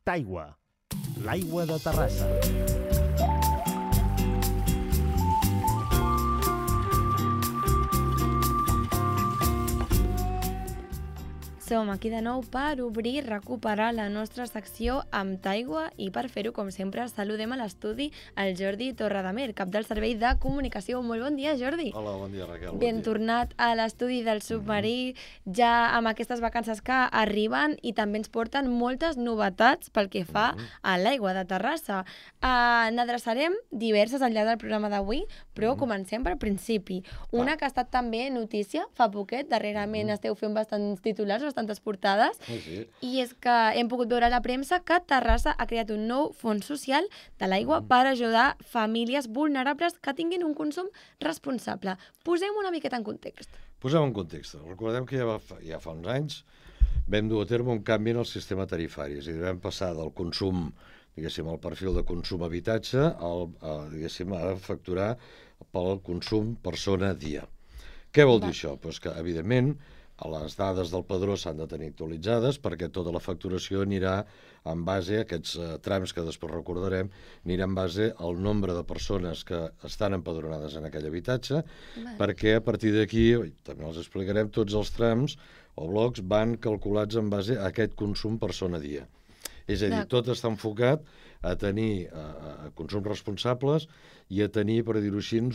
Taigua, l'aigua de Terrassa. Som aquí de nou per obrir i recuperar la nostra secció amb Taigua i per fer-ho, com sempre, saludem a l'estudi el Jordi Torredemer, cap del Servei de Comunicació. Molt bon dia, Jordi. Hola, bon dia, Raquel. Ben tornat a l'estudi del Submarí, ja amb aquestes vacances que arriben i també ens porten moltes novetats pel que fa a l'aigua de Terrassa. N'adreçarem diverses al llarg del programa d'avui, però comencem pel principi. Una que ha estat també notícia fa poquet, darrerament esteu fent bastants titulars, tantes portades, i és que hem pogut veure a la premsa que Terrassa ha creat un nou fons social de l'aigua per ajudar famílies vulnerables que tinguin un consum responsable. Posem una miqueta en context. Posem en context. Recordem que ja fa uns anys vam dur a terme un canvi en el sistema tarifari, és a dir, vam passar del consum, diguéssim, el perfil de consum habitatge, a facturar pel consum persona-dia. Què vol dir això? Doncs que, evidentment, les dades del padró s'han de tenir actualitzades perquè tota la facturació anirà en base a aquests trams que després recordarem, anirà en base al nombre de persones que estan empadronades en aquell habitatge, perquè a partir d'aquí, també els explicarem, tots els trams o blocs van calculats en base a aquest consum persona-dia. És a dir, tot està enfocat a tenir consums responsables i a tenir, per dir-ho així,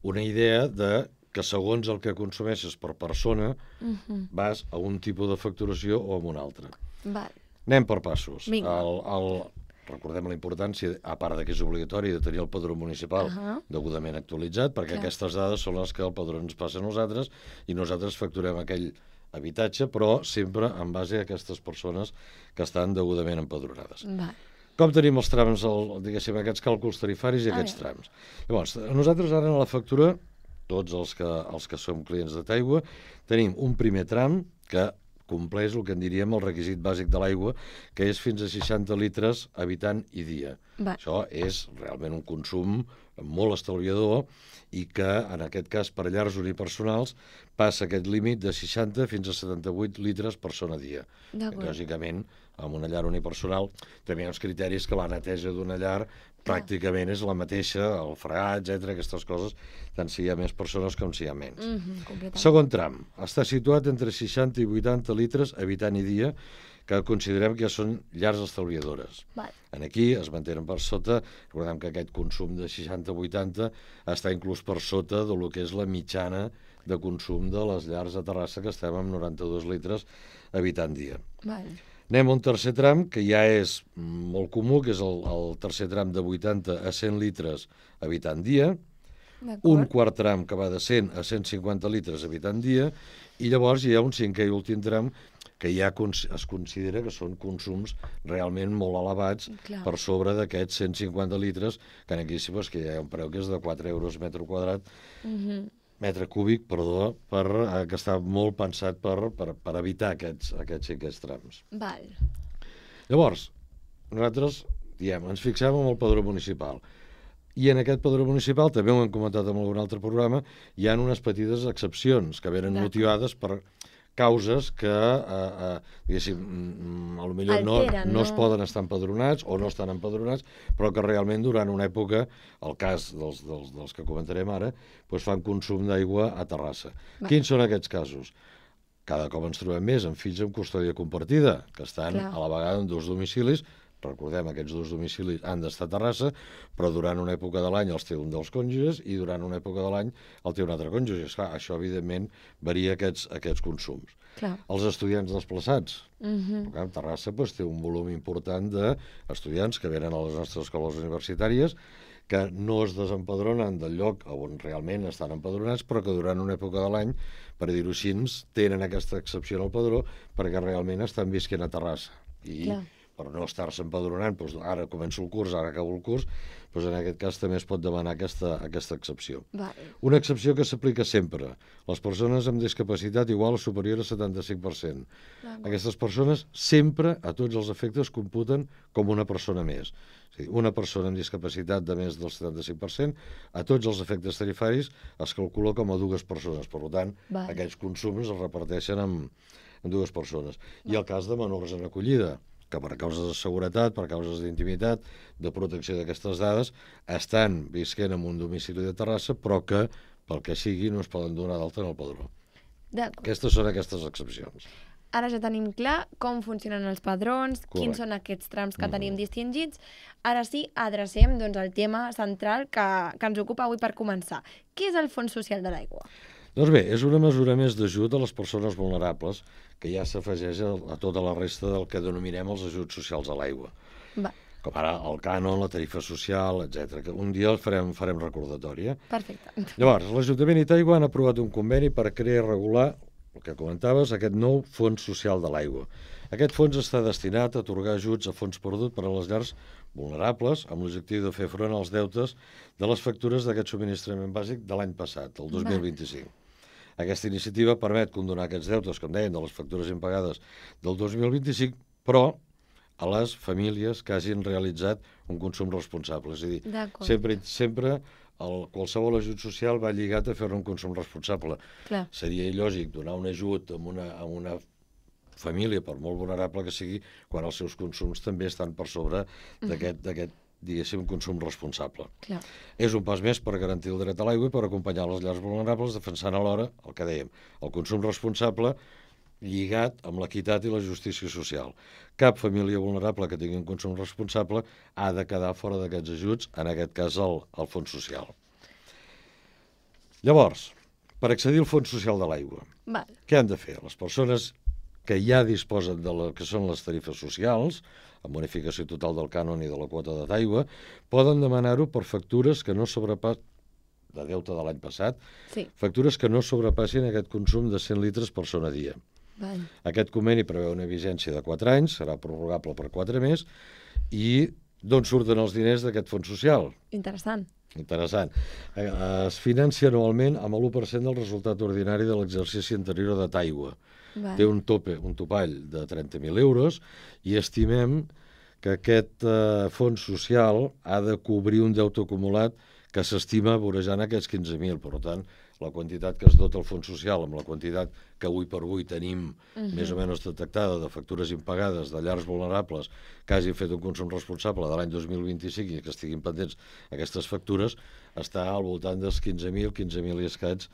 una idea de que segons el que consumeixes per persona vas a un tipus de facturació o a un altre. Anem per passos. Recordem la importància, a part que és obligatori, de tenir el padró municipal degudament actualitzat, perquè aquestes dades són les que el padró ens passa a nosaltres i nosaltres facturem aquell habitatge, però sempre en base a aquestes persones que estan degudament empadronades. Com tenim els trams, diguéssim, aquests càlculs tarifaris i aquests trams? Llavors, nosaltres ara a la factura, tots els que som clients de Taigua, tenim un primer tram que compleix el que en diríem el requisit bàsic de l'aigua, que és fins a 60 litres habitant i dia. Això és realment un consum molt estalviador i que, en aquest cas, per llars unipersonals, passa aquest límit de 60 fins a 78 litres persona dia. Lògicament, amb una llar unipersonal també hi ha uns criteris que la neteja d'una llar pràcticament és la mateixa, el fregat, etc., aquestes coses, tant si hi ha més persones com si hi ha menys. Segon tram, està situat entre 60 i 80 litres habitant i dia, que considerem que ja són llars estalviadores. Aquí es mantenen per sota, recordem que aquest consum de 60-80 està inclús per sota del que és la mitjana de consum de les llars a Terrassa, que estem amb 92 litres habitant dia. Anem a un tercer tram, que ja és molt comú, que és el tercer tram de 80 a 100 litres habitant dia, un quart tram que va de 100 a 150 litres habitant dia, i llavors hi ha un cinquè i últim tram que ja es considera que són consums realment molt elevats per sobre d'aquests 150 litres, que aquí sí que hi ha un preu que és de 4 euros metre quadrat, metre cúbic, perdó, que està molt pensat per evitar aquests cinquets trams. Llavors, nosaltres ens fixem en el padró municipal. I en aquest padró municipal, també ho hem comentat en algun altre programa, hi ha unes petites excepcions que venen motivades per causes que, diguéssim, potser no es poden estar empadronats o no estan empadronats, però que realment durant una època, el cas dels que comentarem ara, fan consum d'aigua a Terrassa. Quins són aquests casos? Cada cop ens trobem més amb fills amb custòdia compartida, que estan a la vegada en dos domicilis. Recordem, aquests dos domicilis han d'estar a Terrassa, però durant una època de l'any els té un dels cònjuges i durant una època de l'any el té un altre cònjuge. Això, evidentment, varia aquests consums. Els estudiants desplaçats. Terrassa té un volum important d'estudiants que venen a les nostres escoles universitàries que no es desempadronen del lloc on realment estan empadronats, però que durant una època de l'any, per dir-ho així, tenen aquesta excepció al padró perquè realment estan visquent a Terrassa. I per no estar-se empadronant, ara començo el curs, ara acabo el curs, en aquest cas també es pot demanar aquesta excepció. Una excepció que s'aplica sempre. Les persones amb discapacitat igual o superior al 75%. Aquestes persones sempre, a tots els efectes, computen com una persona més. Una persona amb discapacitat de més del 75%, a tots els efectes tarifaris es calcula com a dues persones. Per tant, aquests consums es reparteixen persones. I el cas de menors en acollida, que per causes de seguretat, per causes d'intimitat, de protecció d'aquestes dades, estan visquent en un domicili de Terrassa, però que, pel que sigui, no es poden donar d'alta en el padró. Aquestes són aquestes excepcions. Ara ja tenim clar com funcionen els padrons, quins són aquests trams que tenim distingits. Ara sí, adrecem el tema central que ens ocupa avui per començar. Què és el Fons Social de l'Aigua? Doncs bé, és una mesura més d'ajut a les persones vulnerables que ja s'afegeix a tota la resta del que denominem els ajuts socials a l'aigua. Com ara el cànon, la tarifa social, etc. Que un dia farem recordatori. Perfecte. Llavors, l'Ajuntament i Taigua han aprovat un conveni per crear i regular, el que comentaves, aquest nou Fons Social de l'Aigua. Aquest fons està destinat a atorgar ajuts a fons perdut per a les llars vulnerables amb l'objectiu de fer front als deutes de les factures d'aquest subministrament bàsic de l'any passat, el 2025. Aquesta iniciativa permet condonar aquests deutes, com deien, de les factures impagades del 2025, però a les famílies que hagin realitzat un consum responsable. És a dir, sempre qualsevol ajut social va lligat a fer-ne un consum responsable. Seria il·lògic donar un ajut a una família, per molt vulnerable que sigui, quan els seus consums també estan per sobre d'aquest, diguéssim, consum responsable. És un pas més per garantir el dret a l'aigua i per acompanyar les llars vulnerables, defensant alhora, el que dèiem, el consum responsable lligat amb l'equitat i la justícia social. Cap família vulnerable que tingui un consum responsable ha de quedar fora d'aquests ajuts, en aquest cas el Fons Social. Llavors, per accedir al Fons Social de l'Aigua, què han de fer? Les persones que ja disposen de que són les tarifes socials, amb bonificació total del cànon i de la quota d'aigua, poden demanar-ho per factures que no sobrepassin, de deute de l'any passat, factures que no sobrepassin aquest consum de 100 litres per persona a dia. Aquest conveni preveu una vigència de 4 anys, serà prorrogable per 4 més, i d'on surten els diners d'aquest fons social? Interessant. Es financia anualment amb l'1% del resultat ordinari de l'exercici anterior de Taigua. Té un topall de 30.000 euros i estimem que aquest fons social ha de cobrir un deute acumulat que s'estima vorejant aquests 15.000. Per tant, la quantitat que es dota el fons social amb la quantitat que avui per avui tenim més o menys detectada de factures impagades de llars vulnerables que hagin fet un consum responsable de l'any 2025 i que estiguin pendents aquestes factures, està al voltant dels 15.000 i escaig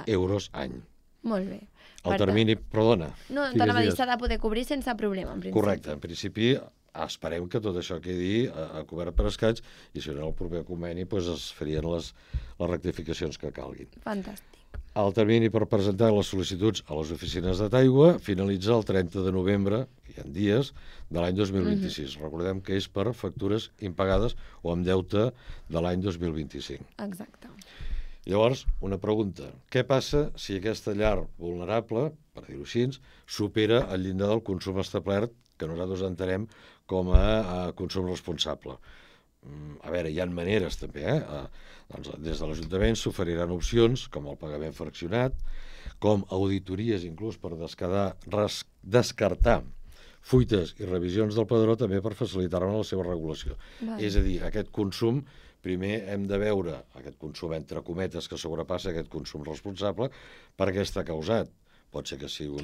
euros any. Molt bé. El termini, perdona. No, t'anava a dir, s'ha de poder cobrir sense problema, en principi. Correcte, en principi esperem que tot això quedi cobert per escaig i si no el proper conveni es farien les rectificacions que calguin. Fantàstic. El termini per presentar les sol·licituds a les oficines de Taigua finalitza el 30 de novembre, hi ha dies, de l'any 2026. Recordem que és per factures impagades o amb deute de l'any 2025. Exacte. Llavors, una pregunta. Què passa si aquesta llar vulnerable, per dir-ho així, supera el llindar del consum establert que nosaltres entenem com a consum responsable? A veure, hi ha maneres també, Doncs des de l'Ajuntament s'oferiran opcions com el pagament fraccionat, com auditories inclús per descartar fuites i revisions del padró també per facilitar-ne la seva regulació. És a dir, aquest consum, primer hem de veure aquest consum entre cometes que sobrepassa aquest consum responsable per què està causat. Pot ser que sigui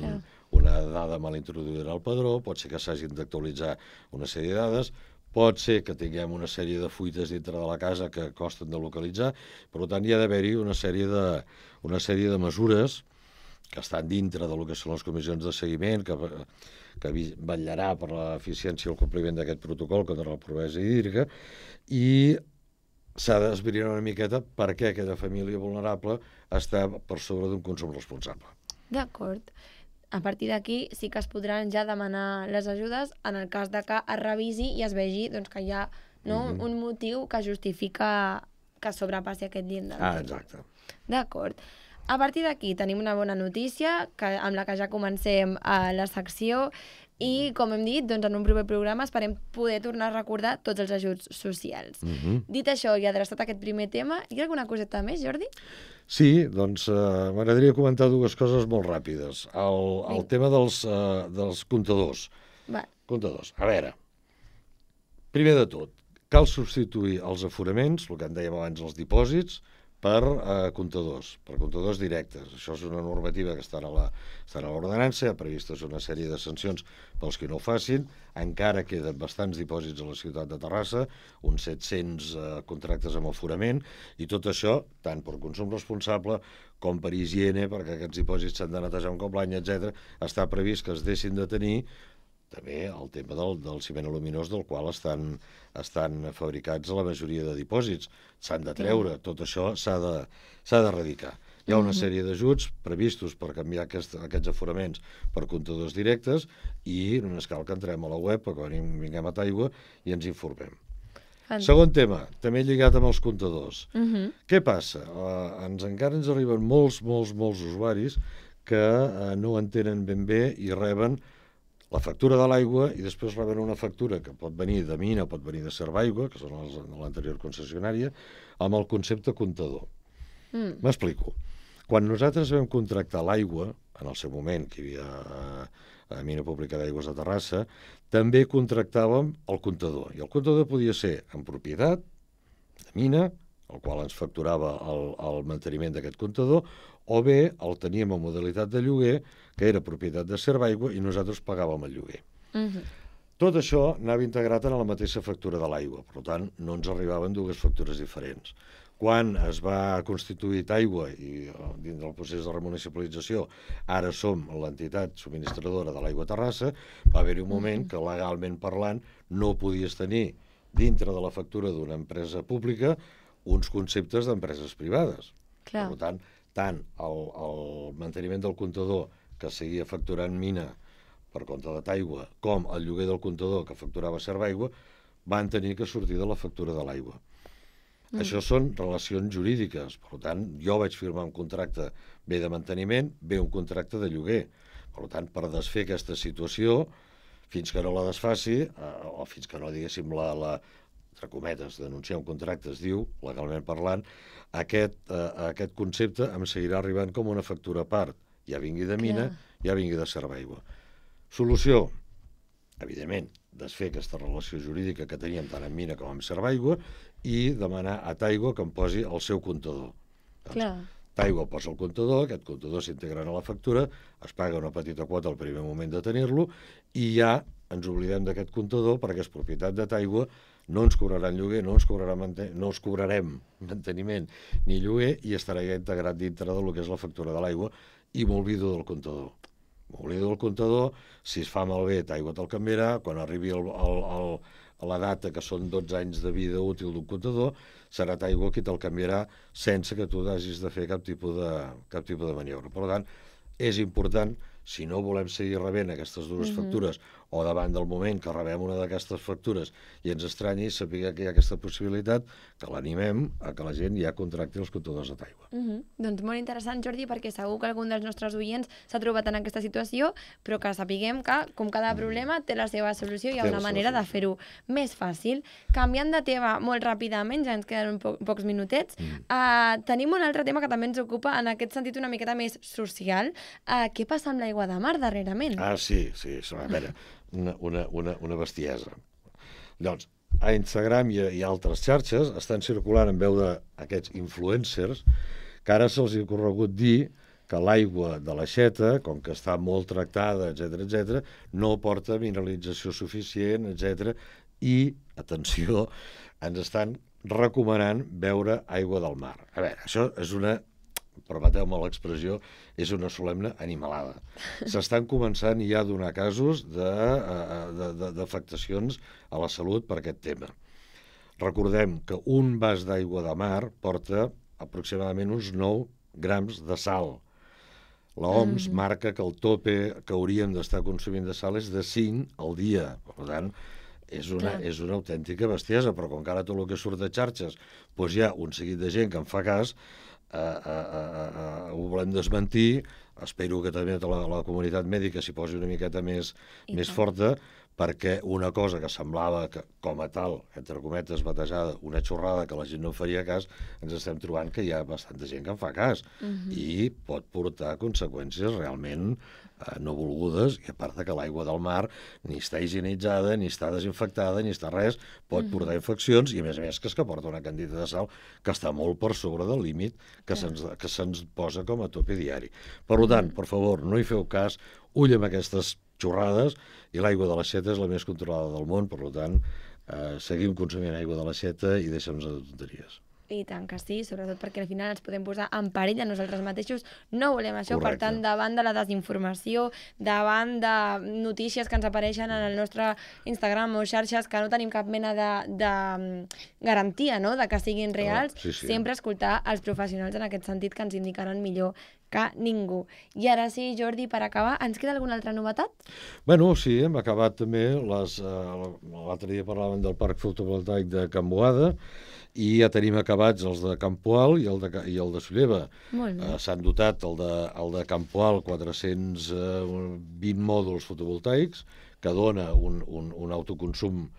una dada mal introduïda en el padró, pot ser que s'hagin d'actualitzar una sèrie de dades, pot ser que tinguem una sèrie de fuites dintre de la casa que costen de localitzar, per tant hi ha d'haver-hi una sèrie de mesures que estan dintre del que són les comissions de seguiment, que vetllarà per l'eficiència i el compliment d'aquest protocol contra la pobresa hídrica, i s'ha d'esbrinar una miqueta per què aquesta família vulnerable està per sobre d'un consum responsable. D'acord. A partir d'aquí sí que es podran ja demanar les ajudes en el cas de que es revisi i es vegi que hi ha un motiu que justifica que sobrepassi aquest llindar. Exacte. D'acord. A partir d'aquí tenim una bona notícia amb la que ja comencem la secció i, com hem dit, en un proper programa esperem poder tornar a recordar tots els ajuts socials. Dit això i adreçat a aquest primer tema, hi ha alguna coseta més, Jordi? Sí, doncs m'agradaria comentar dues coses molt ràpides. El tema dels comptadors. Comptadors. A veure, primer de tot, cal substituir els aforaments, el que en dèiem abans els dipòsits, per comptadors directes. Això és una normativa que està a l'ordenança, hi ha previstes una sèrie de sancions pels que no ho facin, encara queden bastants dipòsits a la ciutat de Terrassa, uns 700 contractes amb aforament, i tot això, tant per consum responsable com per higiene, perquè aquests dipòsits s'han de netejar un cop l'any, etc., està previst que es deixin de tenir també el tema del ciment aluminós, del qual estan fabricats la majoria de dipòsits. S'han de treure, tot això s'ha d'erradicar. Hi ha una sèrie d'ajuts previstos per canviar aquests aforaments per comptadors directes i només cal que entrem a la web, quan vinguem a Taigua, i ens informem. Segon tema, també lligat amb els comptadors. Què passa? Encara ens arriben molts usuaris que no entenen ben bé i reben la factura de l'aigua i després reben una factura que pot venir de Mina, pot venir de Servaigua, que són els de l'anterior concessionària, amb el concepte comptador. M'explico. Quan nosaltres vam contractar l'aigua, en el seu moment, que hi havia a Mina Pública d'Aigües de Terrassa, també contractàvem el comptador. I el comptador podia ser en propietat de Mina, el qual ens facturava el manteniment d'aquest comptador, o bé el teníem en modalitat de lloguer, que era propietat de Servaigua, i nosaltres pagàvem el lloguer. Tot això anava integrat en la mateixa factura de l'aigua, per tant, no ens arribaven dues factures diferents. Quan es va constituir Taigua i dins del procés de remunicipalització ara som l'entitat subministradora de l'aigua a Terrassa, va haver-hi un moment que legalment parlant no podies tenir dintre de la factura d'una empresa pública uns conceptes d'empreses privades. Per tant, tant el manteniment del comptador que seguia facturant Mina per compte de Taigua com el lloguer del comptador que facturava Servaigua van tenir que sortir de la factura de l'aigua. Això són relacions jurídiques, per tant, jo vaig firmar un contracte bé de manteniment, bé un contracte de lloguer. Per tant, per desfer aquesta situació, fins que no la desfaci, o fins que no, diguéssim, entre cometes, denunciar un contracte es diu, legalment parlant, aquest concepte em seguirà arribant com una factura a part, ja vingui de Mina, ja vingui de Servaigua. Solució, evidentment, desfer aquesta relació jurídica que teníem tant amb Mina com amb Servaigua i demanar a Taigua que em posi el seu comptador. Taigua posa el comptador, aquest comptador s'integra a la factura, es paga una petita quota al primer moment de tenir-lo i ja ens oblidem d'aquest comptador perquè és propietat de Taigua, no ens cobraran lloguer, no ens cobrarem manteniment ni lloguer i estarà ja integrat dintre del que és la factura de l'aigua i m'oblido del comptador. M'oblido del comptador, si es fa malbé, Taigua te'l canviarà, quan arribi la data, que són 12 anys de vida útil d'un comptador, serà Taigua qui te'l canviarà sense que tu hagis de fer cap tipus de maniobra. Per tant, és important, si no volem seguir rebent aquestes dues factures o davant del moment que rebem una d'aquestes factures i ens estranyi, saber que hi ha aquesta possibilitat, que l'animem a que la gent ja contracti els comptadors de Taigua. Doncs molt interessant, Jordi, perquè segur que algun dels nostres oients s'ha trobat en aquesta situació, però que sapiguem que, com cada problema, té la seva solució i hi ha una manera de fer-ho més fàcil. Canviant de tema molt ràpidament, ja ens queden pocs minutets, tenim un altre tema que també ens ocupa en aquest sentit una miqueta més social. Què passa amb l'aigua de mar darrerament? Sí, a veure, una bestiesa. Doncs, a Instagram i altres xarxes estan circulant en veu d'aquests influencers que ara se'ls ha corregut dir que l'aigua de l'aixeta, com que està molt tractada, etc., no porta mineralització suficient, etc. I, atenció, ens estan recomanant beure aigua del mar. A veure, això és permeteu-me l'expressió, és una solemne animalada. S'estan començant ja a donar casos d'afectacions a la salut per aquest tema. Recordem que un vas d'aigua de mar porta aproximadament uns 9 grams de sal. L'OMS marca que el tope que hauríem d'estar consumint de sal és de 5 al dia. Per tant, és una autèntica bestiesa, però com que ara tot el que surt de xarxes hi ha un seguit de gent que en fa cas, ho volem desmentir. Espero que també la comunitat mèdica s'hi posi una miqueta més forta, perquè una cosa que semblava que, com a tal, entre cometes, batejada, una xorrada que la gent no faria cas, ens estem trobant que hi ha bastanta gent que en fa cas i pot portar conseqüències realment no volgudes, i a part que l'aigua del mar ni està higienitzada, ni està desinfectada, ni està res, pot portar infeccions i, a més que porta una quantitat de sal que està molt per sobre del límit que se'ns posa com a tope diari. Per tant, per favor, no hi feu cas, ull amb aquestes xorrades, i l'aigua de l'aixeta és la més controlada del món, per tant, seguim consumint aigua de l'aixeta i deixem-nos de tonteries. I tant que sí, sobretot perquè al final ens podem posar en perill a nosaltres mateixos. No volem això. Correcte. Per tant, davant de la desinformació, davant de notícies que ens apareixen en el nostre Instagram o xarxes que no tenim cap mena de garantia, no?, de que siguin reals, sempre escoltar els professionals en aquest sentit que ens indicaran millor que ningú. I ara sí, Jordi, per acabar, ens queda alguna altra novetat? Bueno, sí, hem acabat també l'altre dia parlàvem del parc fotovoltaic de Can Boada, i ja tenim acabats els de Campoal i el de Solleva. S'han dotat el de Campoal 420 mòduls fotovoltaics, que dona un autoconsum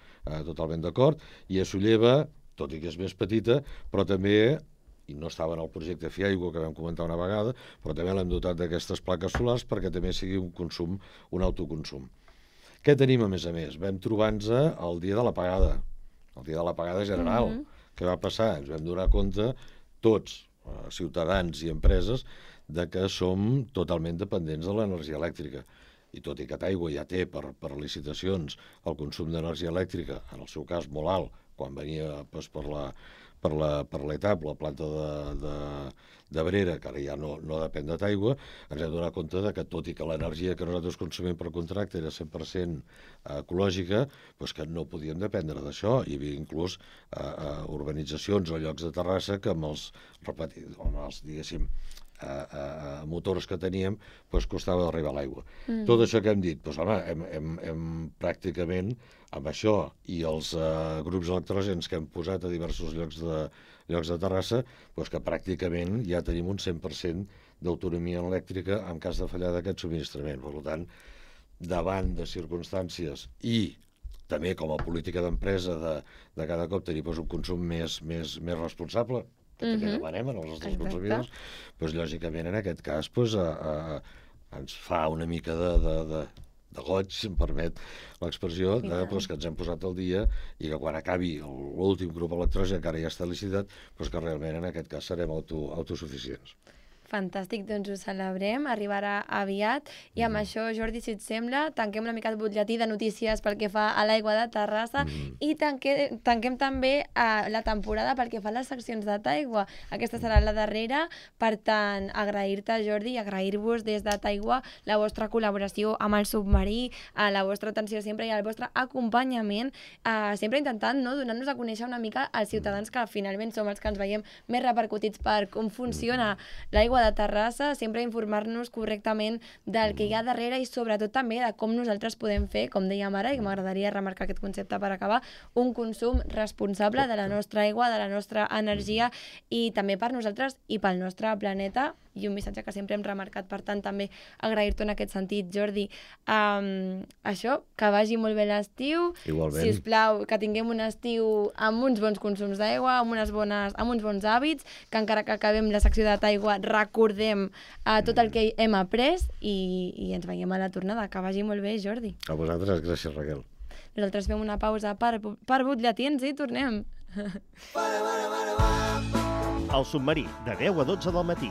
totalment d'acord, i a Solleva, tot i que és més petita, però també, i no estava en el projecte Fiaigua, que vam comentar una vegada, però també l'hem dotat d'aquestes plaques solars perquè també sigui un autoconsum. Què tenim a més? Vam trobar-nos el dia de l'apagada, el dia de l'apagada general. Què va passar? Ens vam donar compte, tots, ciutadans i empreses, de que som totalment dependents de l'energia elèctrica. I tot i que Taigua ja té per licitacions el consum d'energia elèctrica, en el seu cas molt alt, quan venia per l'ETAP, la planta d'Abrera, que ara ja no depèn de Taigua, ens hem donat compte que tot i que l'energia que nosaltres consumim per contracte era 100% ecològica, doncs que no podíem dependre d'això. Hi havia inclús urbanitzacions o llocs de Terrassa que amb els diguéssim, motors que teníem, doncs costava d'arribar a l'aigua. Tot això que hem dit, doncs home, hem pràcticament, amb això i els grups electrògens que hem posat a diversos llocs de Terrassa, doncs que pràcticament ja tenim un 100% d'autonomia elèctrica en cas de fallar d'aquest subministrament. Per tant, davant de circumstàncies i també com a política d'empresa de cada cop tenir un consum més responsable, que també demanem als nostres consumidors, doncs lògicament en aquest cas ens fa una mica de goig, si em permet l'expressió, que ens hem posat al dia i que quan acabi l'últim grup electrogen, que ara ja està licitat, que realment en aquest cas serem autosuficients. Fantàstic, doncs ho celebrem, arribarà aviat. I amb això, Jordi, si et sembla, tanquem una mica el butlletí de notícies pel que fa a l'aigua de Terrassa i tanquem també la temporada pel que fa a les seccions de Taigua. Aquesta serà la darrera, per tant, agrair-te, Jordi, i agrair-vos des de Taigua la vostra col·laboració amb el submarí, la vostra atenció sempre i el vostre acompanyament, sempre intentant donar-nos a conèixer una mica als ciutadans que finalment som els que ens veiem més repercutits per com funciona l'aigua de Terrassa, sempre informar-nos correctament del que hi ha darrere i sobretot també de com nosaltres podem fer, com dèiem ara, i m'agradaria remarcar aquest concepte per acabar, un consum responsable de la nostra aigua, de la nostra energia i també per nosaltres i pel nostre planeta, i un missatge que sempre hem remarcat, per tant també agrair-t'ho en aquest sentit, Jordi. Això, que vagi molt bé l'estiu, si us plau, que tinguem un estiu amb uns bons consums d'aigua, amb uns bons hàbits, que encara que acabem la secció de Taigua recordem tot el que hem après i ens veiem a la tornada. Que vagi molt bé, Jordi. A vosaltres, gràcies, Raquel. Nosaltres fem una pausa per butlletins i tornem. El submarí, de 10 a 12 del matí.